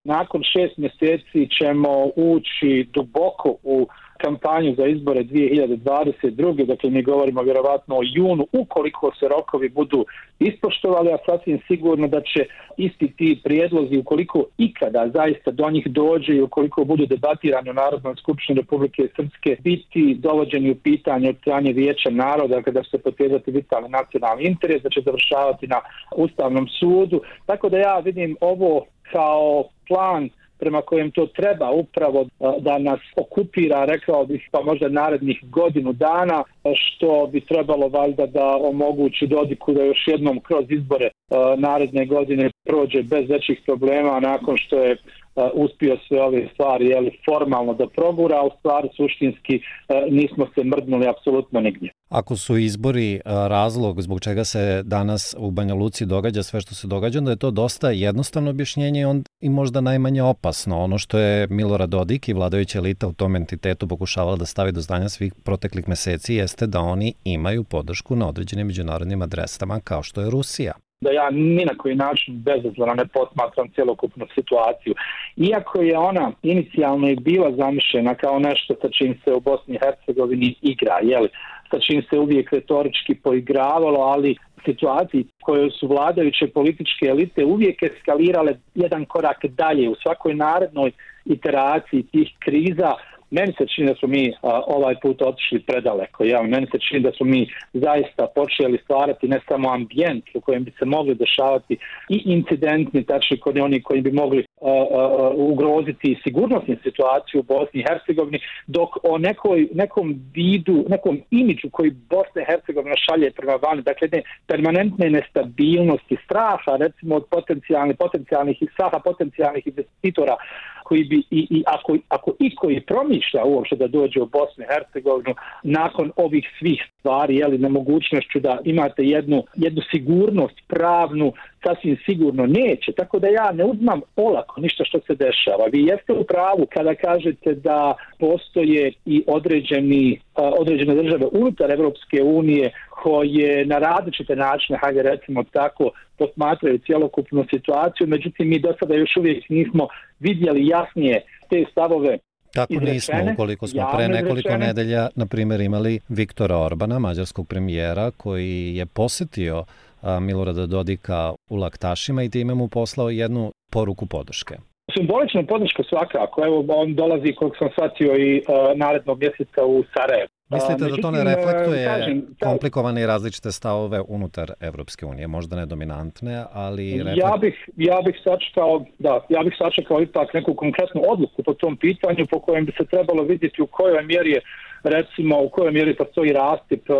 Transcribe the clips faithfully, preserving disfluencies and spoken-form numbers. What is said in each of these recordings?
nakon šest mjeseci ćemo ući duboko u kampanju za izbore dvije hiljade dvadeset druge. Dakle, mi govorimo vjerovatno o junu, ukoliko se rokovi budu ispoštovali, a sasvim sigurno da će isti ti prijedlozi, ukoliko ikada zaista do njih dođe i ukoliko budu debatirani u Narodnoj skupštini Republike Srpske, biti dovođeni u pitanje od strane Vijeća naroda, kada će se potezati vitalni nacionalni interes, da će završavati na Ustavnom sudu. Tako da ja vidim ovo kao plan prema kojem to treba upravo da nas okupira, rekao bih, pa možda narednih godinu dana, što bi trebalo valjda da omogući Dodiku da još jednom kroz izbore naredne godine prođe bez većih problema nakon što je uspio sve ove stvari jeli, formalno da progura, a u stvari suštinski nismo se mrdnuli apsolutno nigdje. Ako su izbori razlog zbog čega se danas u Banja Luci događa sve što se događa, onda je to dosta jednostavno objašnjenje i možda najmanje opasno. Ono što je Milorad Dodik i vladajuća elita u tom entitetu pokušavala da stavi do znanja svih proteklih meseci jeste da oni imaju podršku na određenim međunarodnim adresama kao što je Rusija. Da ja ni na koji način bezazleno ne posmatram cjelokupnu situaciju. Iako je ona inicijalno i bila zamišljena kao nešto sa čim se u Bosni i Hercegovini igra, jeli, sa čim se uvijek retorički poigravalo, ali situaciji koje su vladajuće političke elite uvijek eskalirale jedan korak dalje u svakoj narednoj iteraciji tih kriza. Meni se čini da smo mi a, ovaj put otišli predaleko. Ja, meni se čini da smo mi zaista počeli stvarati ne samo ambijent u kojem bi se mogli dešavati i incidentni, tačni kod oni koji bi mogli a, a, ugroziti sigurnosnu situaciju u Bosni i Hercegovini, dok o nekoj, nekom vidu, nekom imidžu koji Bosna i Hercegovina šalje prema vani, dakle ne, permanentne nestabilnosti, straha recimo od potencijalnih, potencijalnih i straha potencijalnih investitora koji bi i, i ako, ako i koji promišlja uopšte da dođe u Bosnu i Hercegovinu nakon ovih svih stvari, jeli, nemogućnošću da imate jednu, jednu sigurnost pravnu, sasvim sigurno neće. Tako da ja ne uzmam olako ništa što se dešava. Vi jeste u pravu kada kažete da postoje i određeni, određene države unutar Evropske unije koje na različite načine, hajde recimo tako, posmatraju cjelokupnu situaciju, međutim mi do sada još uvijek nismo vidjeli jasnije te stavove. Tako nismo, ukoliko smo pre nekoliko nedelja, na primjer, imali Viktora Orbana, mađarskog premijera, koji je posjetio Milorada Dodika u Laktašima i time mu poslao jednu poruku podrške. Simbolična podrška svakako. Evo, on dolazi, koliko sam shvatio, i uh, narednog mjeseca u Sarajevo. Mislite uh, da to ne reflektuje kažem, komplikovane i različite stavove unutar Evropske unije, možda ne dominantne, ali... Reflekt... Ja bih, ja bih sačekao, da, ja bih sačekao ipak neku konkretnu odluku po tom pitanju, po kojem bi se trebalo vidjeti u kojoj mjeri je, recimo, u kojoj mjeri postoji rastip uh,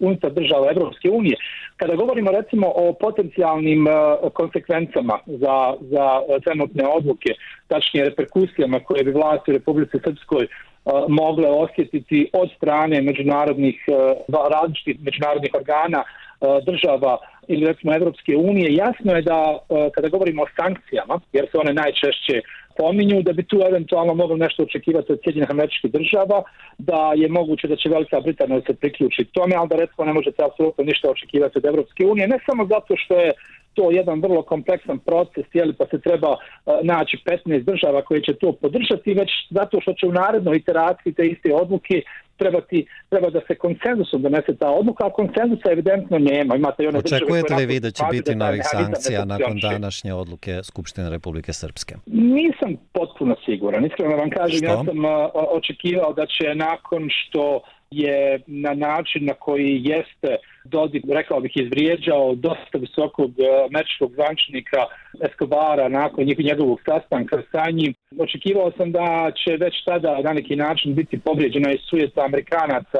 unutar država Evropske unije. Kada govorimo recimo o potencijalnim uh, konsekvencama za, za trenutne odluke, tačnije reperkusijama koje bi vlasti u Republici Srpskoj uh, mogle osjetiti od strane međunarodnih, uh, različitih međunarodnih organa, uh, država ili recimo Evropske unije, jasno je da uh, kada govorimo o sankcijama, jer se one najčešće pominju, da bi tu eventualno moglo nešto očekivati od Sjedinjenih Američkih Država, da je moguće da će Velika Britanija se priključiti tome, ali da recimo ne možete apsolutno ništa očekivati od Evropske unije, ne samo zato što je to jedan vrlo kompleksan proces, jeli, pa se treba uh, naći petnaest država koje će to podržati, već zato što će u narednoj iteraciji te iste odluke trebati, treba da se konsenzusom donese ta odluka, a konsenzusa evidentno nema. Imate i one Očekujete li vi da će biti novih sankcija nakon današnje odluke Skupštine Republike Srpske? Nisam potpuno siguran. Iskreno vam kažem, ja sam uh, očekivao da će nakon što je na način na koji jeste Dodik, rekao bih, izvrijeđao dosta visokog američkog zvančnika Escobara nakon njegovog sastanka sa njim. Očekivao sam da će već tada na neki način biti povrijeđena i sujeta Amerikanaca.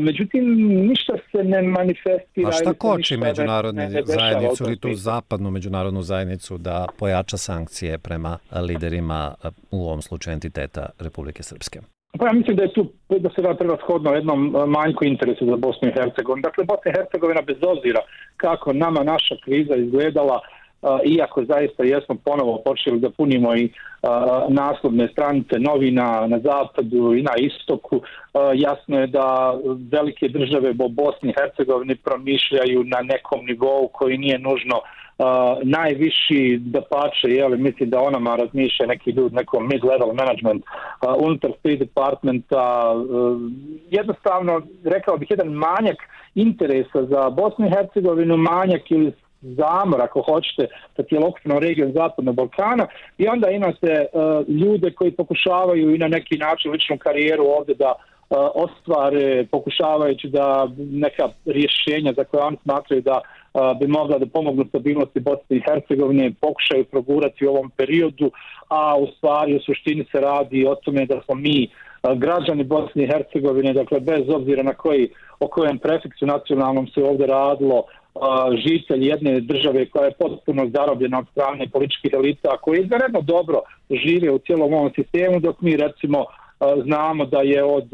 Međutim, ništa se ne manifestira. A šta koči međunarodnu zajednicu ili tu zapadnu međunarodnu zajednicu da pojača sankcije prema liderima, u ovom slučaju entiteta Republike Srpske? Pa ja mislim da je tu da se da prevashodno jednom manjku interesu za Bosnu i Hercegovinu. Dakle, Bosna i Hercegovina bez obzira kako nama naša kriza izgledala, uh, iako zaista jesmo ponovo počeli da punimo i uh, naslovne stranice novina na zapadu i na istoku, uh, jasno je da velike države u Bosni i Hercegovini promišljaju na nekom nivou koji nije nužno Uh, najviši da pače, jeli, mislim da onama razmišlja neki ljudi, nekom mid-level management uh, unutar State Departmenta, uh, jednostavno, rekao bih, jedan manjak interesa za Bosnu i Hercegovinu, manjak ili zamor, ako hoćete, sa cjelokupnom regijom Zapadnog Balkana, i onda imate uh, ljude koji pokušavaju i na neki način ličnu karijeru ovdje da uh, ostvare, pokušavajući da neka rješenja za koje oni smatraju da uh, bi mogla da pomognu stabilnosti Bosne i Hercegovine, pokušaju progurati u ovom periodu, a u stvari u suštini se radi o tome da smo mi uh, građani Bosne i Hercegovine, dakle bez obzira na koji, o kojem prefiksu nacionalnom se ovdje radilo, žitelj jedne države koja je potpuno zarobljena od strane političkih elita, koji izvanredno dobro žive u cijelom ovom sistemu, dok mi recimo znamo da je od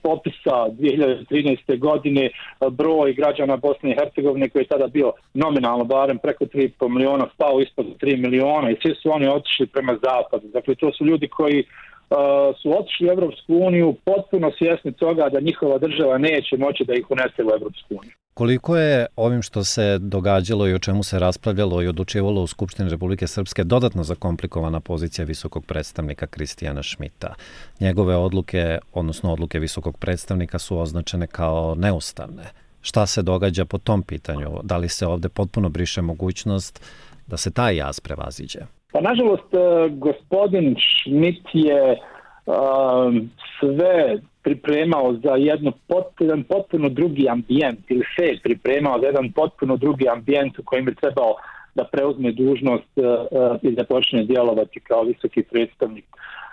popisa dvije hiljade trinaeste. godine broj građana Bosne i Hercegovine, koji je tada bio nominalno barem preko tri i po miliona, spao ispod tri miliona, i svi su oni otišli prema zapadu. Dakle, to su ljudi koji Uh, su otišli u Evropsku uniju potpuno svjesni toga da njihova država neće moći da ih unese u Evropsku uniju. Koliko je ovim što se događalo i o čemu se raspravljalo i odlučivalo u Skupštini Republike Srpske dodatno zakomplikovana pozicija visokog predstavnika Kristijana Šmita? Njegove odluke, odnosno odluke visokog predstavnika, su označene kao neustavne. Šta se događa po tom pitanju? Da li se ovdje potpuno briše mogućnost da se taj jaz prevaziđe? Pa nažalost, gospodin Šmit je um, sve pripremao za jedno potpuno, potpuno drugi ambijent, ili se je pripremao za jedan potpuno drugi ambijent u kojem bi trebao da preuzme dužnost uh, i da počne djelovati kao visoki predstavnik.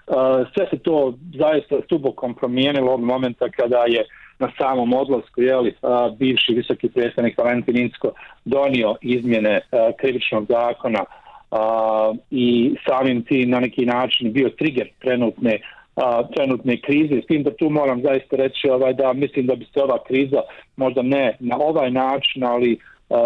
Uh, sve se to zaista stubokom promijenilo od momenta kada je na samom odlasku, jeli, uh, bivši visoki predstavnik Valentin Incko donio izmjene uh, krivičnog zakona, Uh, i samim tim na neki način bio trigger trenutne, uh, trenutne krize. S tim da tu moram zaista reći ovaj, da mislim da bi se ova kriza možda ne na ovaj način, ali uh, uh,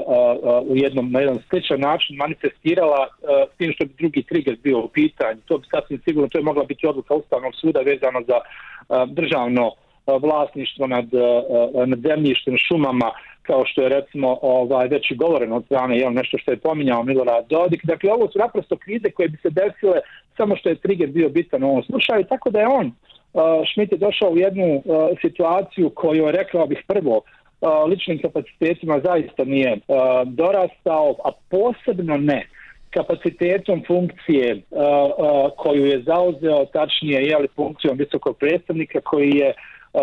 uh, u jednom, na jedan sličan način manifestirala uh, s tim što bi drugi trigger bio u pitanju. To bi sasvim sigurno, to je mogla biti odluka Ustavnog suda vezano za uh, državno uh, vlasništvo nad, uh, nad zemljištem, šumama, kao što je recimo ovaj, već i govoreno od strane, jel, nešto što je pominjao Milorad Dodik. Dakle, ovo su naprosto krize koje bi se desile samo što je trigger bio bitan u ovom slučaju, tako da je on, uh, Šmit je došao u jednu uh, situaciju koju je, rekao bih, prvo uh, ličnim kapacitetima zaista nije uh, dorastao, a posebno ne kapacitetom funkcije uh, uh, koju je zauzeo, tačnije, jel, funkcijom visokog predstavnika, koji je Uh,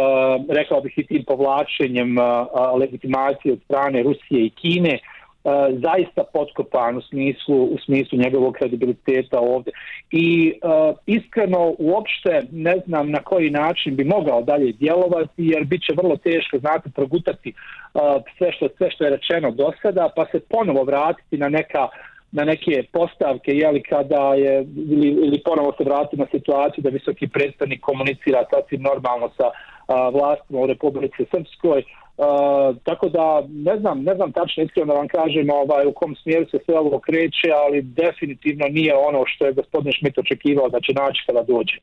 rekao bih i tim povlačenjem uh, uh, legitimacije od strane Rusije i Kine uh, zaista potkopan u smislu, u smislu njegovog kredibiliteta ovdje. I uh, iskreno uopšte ne znam na koji način bi mogao dalje djelovati, jer bit će vrlo teško, znate, progutati uh, sve, što, sve što je rečeno do sada, pa se ponovo vratiti na neka na neke postavke, jeli, kada je, ili, ili ponovo se vratiti na situaciju da visoki predstavnik komunicira sasvim normalno sa a, vlastima u Republici Srpskoj. A, tako da ne znam, ne znam tačno iskreno da vam kažem ovaj, u kom smjeru se sve ovo kreće, ali definitivno nije ono što je gospodin Šmit očekivao da će naći kada dođe.